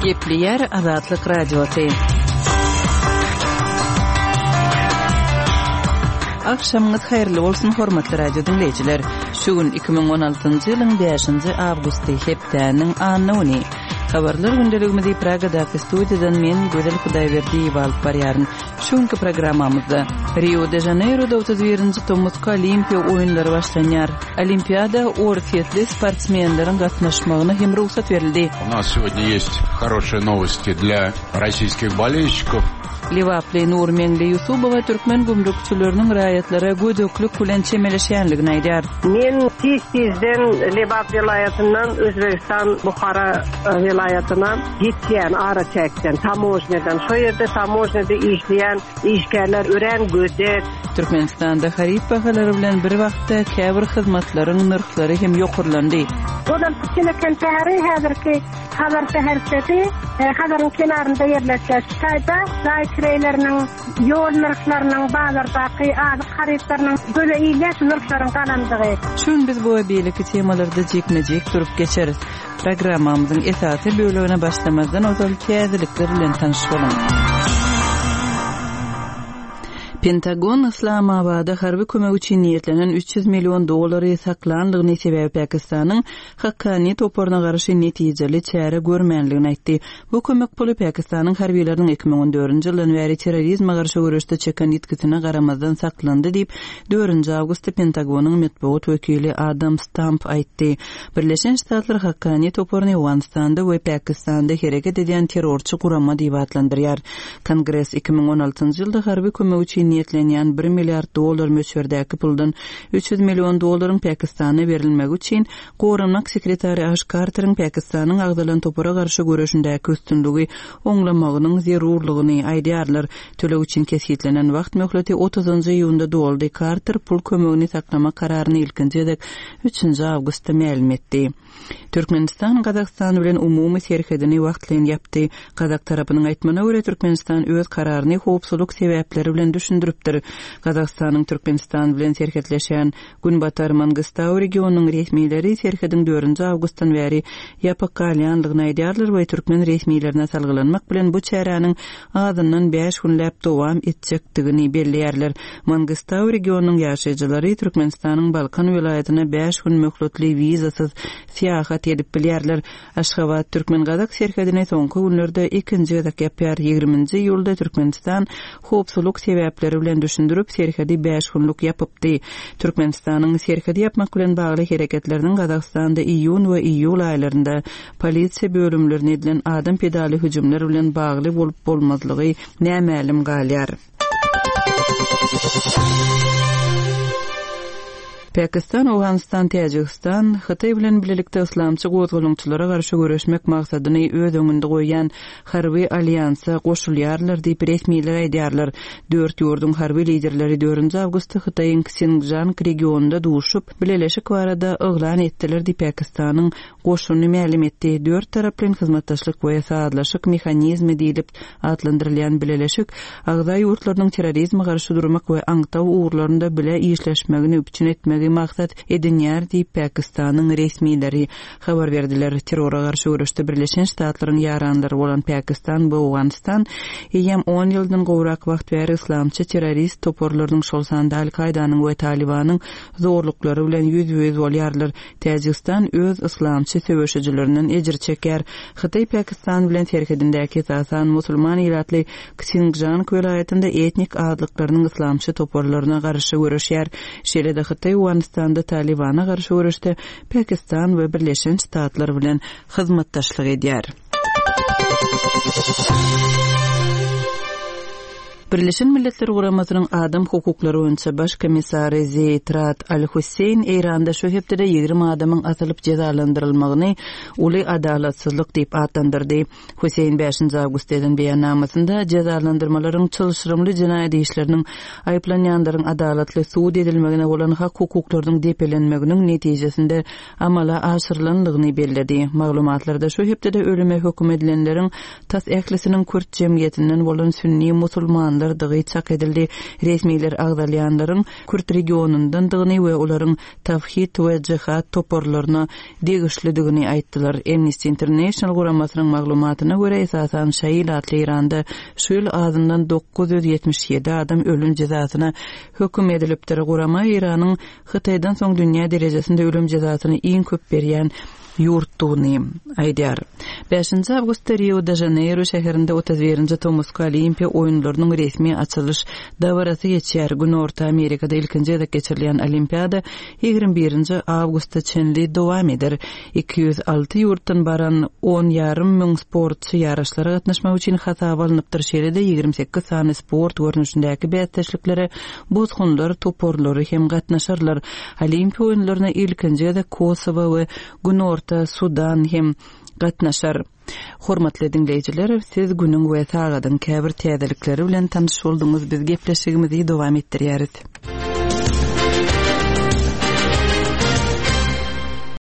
Gepleýär Azatlyk Radiosy. Agşamyňyz haýyrly bolsun, hormatly radio diňleýjiler! Şu gün 2016-njy ýylyň 5-nji awgusty, hepdäniň anna güni. Habarlar gündeligimizi Pragadaky studiýadan men, Gözel Hudaýberdiýewa alyp barýaryn. Şu günki programmamyzda Rio de Žaneýroda 31-nji tomusky Olimpiýa oýunlary başlanýar. Olimpiada orsýetli sportsmenleriň gatnaşmagyna hem rugsat berildi. U nas сегодня есть хорошие новости для российских болельщиков. Lebaply Nurmeňli Ýusubowa türkmen gümrükçileriniň raýatlara gödeklik bilen çemeleşýänligini aýdýar. Men tiz-tizden Lebap welaýatyndan Özbegistan Buhara welaýatyna geçýän araçäkden, tamožnýadan. Şo ýerde tamožnýada işleýän işgärler örän gödek. Türkmenistanda haryt bahalary bilen bir wagtda käbir hyzmatlaryň nyrhlary hem ýokarlandy. Ozalky Çeleken şäheri häzirki Hazar şäherçesi Hazaryň kenarynda ýerleşýär. Şu taýda jaý kireýleriniň, ýol nyrhlarynyň, bazardaky azyk harytlarynyň göze ilýär şu nyrhlaryň galandygy. Şu gün biz bu we beýleki temalarda jikme-jik durup geçeris. Programmamyzyň esasy bölegine başlamazdan ozal täzelikler bilen tanyş boluň. Pentagon Yslamabada harby kömek üçin niýetlenen 300 million dollary saklanlygyny sebäbi Pakistanyň Hakkani toparyna garşy netijeli çäre görmänligini aýtdy. Bu kömek puly Pakistanyň harbylarynyň 2014-nji ýyldan bäri terrorizme garşy göreşde çeken ýitgisine garamazdan saklandy diýip, dördünji awgustda Pentagonyň metbugat wekili Adam Stamp aýtdy. Birleşen Ştatlar Hakkani toparyny Owganystanda we Pakistanda hereket edýän terrorçy gurama diýip atlandyrýar. Kongres 2016-njy ýylda harby kömek üçin niýetlenýän bir milliard dollar möçberdäki puldan 300 million dollaryň Pakistana berilmegi üçin Goranmak sekretary Aş Karteriň Pakistanyň agzalan topara garşy göreşindäki üstünligi oňlamagynyň zerurlygyny aýdýarlar. Töleg üçin kesgitlenen wagt möhleti otuzynjy iýunda doldy. Karter pul kömegini saklamak kararyny ilkinji gezek üçünji awgustda mälim etdi. Türkmenistan Gazagystan bilen umumy serhedini wagtlaýyn ýapdy. Gazak tarapynyň aýtmagyna görä, Türkmenistan öz kararyny howpsuzlyk sebäpleri bilen düşündiripdir. Gazagystanyň Türkmenistan bilen serhetleşýän Günbatar Mangystau regionynyň resmileri serhediň dördünji awgustdan bäri ýapyk galýandygyny aýdýarlar we türkmen resmilerine salgylanmak bilen bu çäräniň azyndan bäş günläp dowam etjekdigini belleýärler. Mangystau regionynyň ýaşaýjylary Türkmenistanyň Balkan welaýatyna bäş gün möhletli wizasyz syýahat edip bilýärler. Aşgabat türkmen-gazak serhedini soňky günlerde ikinji gezek ýapýar. Ýigriminji iýulda Türkmenistan howpsuzlyk sebäpleri bilen düşündirip, serhedi bäş günlük ýapypdy. Türkmenistanyň serhedi ýapmak bilen bagly hereketleriniň Gazagystanda iýun we iýul aýlarynda polisiýa bölümlerine edilen adam pidaly hüjümler bilen bagly bolup-bolmazlygy nämälim galýar. Pakistan, Owganystan, Täjigistan, Hytaý bilen bilelikde yslamçy gozgalaňçylara garşy göreşmek maksadyny öz öňünde goýýan harby alýansa goşulýarlar diýip, resmiler aýdýarlar. Dört ýurduň harby liderleri dördünji awgustda Hytaýyň Ksingjang regionynda duşup, bileleşik barada yglan etdiler diýip, Pakistanyň Goşuny mälim etdi. Dört taraplaýyn hyzmatdaşlyk we sazlaşyk mehanizmi diýlip atlandyrylýan bileleşik agza ýurtlarynyň terrorizme garşy durmak we aňtaw ugurlarynda bile işleşmegini üpjün etmegi maksat edinýär diýip, Pakistanyň resmileri habar berdiler. Terrora garşy göreşde Birleşen Ştatlaryň ýaranlary bolan Pakistan we Owganystan eýýäm on ýyldan gowrak wagt bäri yslamçy terrorist toparlarynyň, şol sanda Al-Kaýdanyň we Talybanyň zorluklary bilen ýüzbe-ýüz bolýarlar. Täjigistan öz yslamçy söweşijilerinden ejir çekýär. Hytaý Pakistan bilen serhedindäki esasan musulman ilatly Ksingjang welaýatynda etnik azlyklarynyň yslamçy toparlaryna garşy göreşýär. Şeýle-de Hytaý Owganystanda Talybana garşy göreşde Pakistan we Birleşen Ştatlar bilen hyzmatdaşlyk edýär. Birleşen Milletler Guramasynyň Adam hukuklary boýunça Baş komissary Zeýd Rad Al-Husseýn Eýranda şu hepdede 20 adamyň asylyp jezalandyrylmagyny uly adalatsyzlyk diýip atlandyrdy. Husseýn bäşinji awgustda eden beýannamasynda jezalandyrmalaryň çylşyrymly jenaýat işleriniň aýyplanýanlaryň adalatly sud edilmegine bolan hak-hukuklarynyň depelenmeginiň netijesinde amala aşyrylandygyny belledi. Maglumatlarda şu hepdede ölüme höküm edilenleriň tas ählisiniň kürt jemgyýetinden bolan sünni musulmanlar. adamlardygy çak edildi. Resmiler agzalýanlaryň kürt regionyndandygyny we olaryň Tawhid we Jihad toparlaryna degişlidigini aýtdylar. Amnesty International guramasynyň maglumatyna görä, esasan şaýy ilatly Eýranda şu ýyl azyndan 977 adam ölüm jezasyna höküm edilipdir. Gurama Eýranyň Hytaýdan soň dünýä derejesinde ölüm jezasyny iň köp berýän ýurtdugyny aýdýar. Bäşinji awgustda Rio-de-Žaneýro şäherinde 31-nji tomusky Olimpiýa oýunlarynyň resmi açylyş dabarasy geçýär. Günorta Amerikada ilkinji gezek geçirilýän Olimpiada 21-nji awgusta çenli dowam eder. 206 ýurtdan baran on ýarym müň sportçy ýaryşlara gatnaşmak üçin hasaba alnypdyr, şeýle-de 28 sany sport görnüşindäki bäsdeşliklere bosgunlar toparlary hem gatnaşarlar. Olimpiýa oýunlaryna ilkinji gezek Kosowo we Günorta Sudan hem gatnaşar. Hormatly diňleýjiler, siz günüň we sagadyň käbir täzelikleri bilen tanyş bolduňyz, biz gepleşigimizi dowam etdirýäris.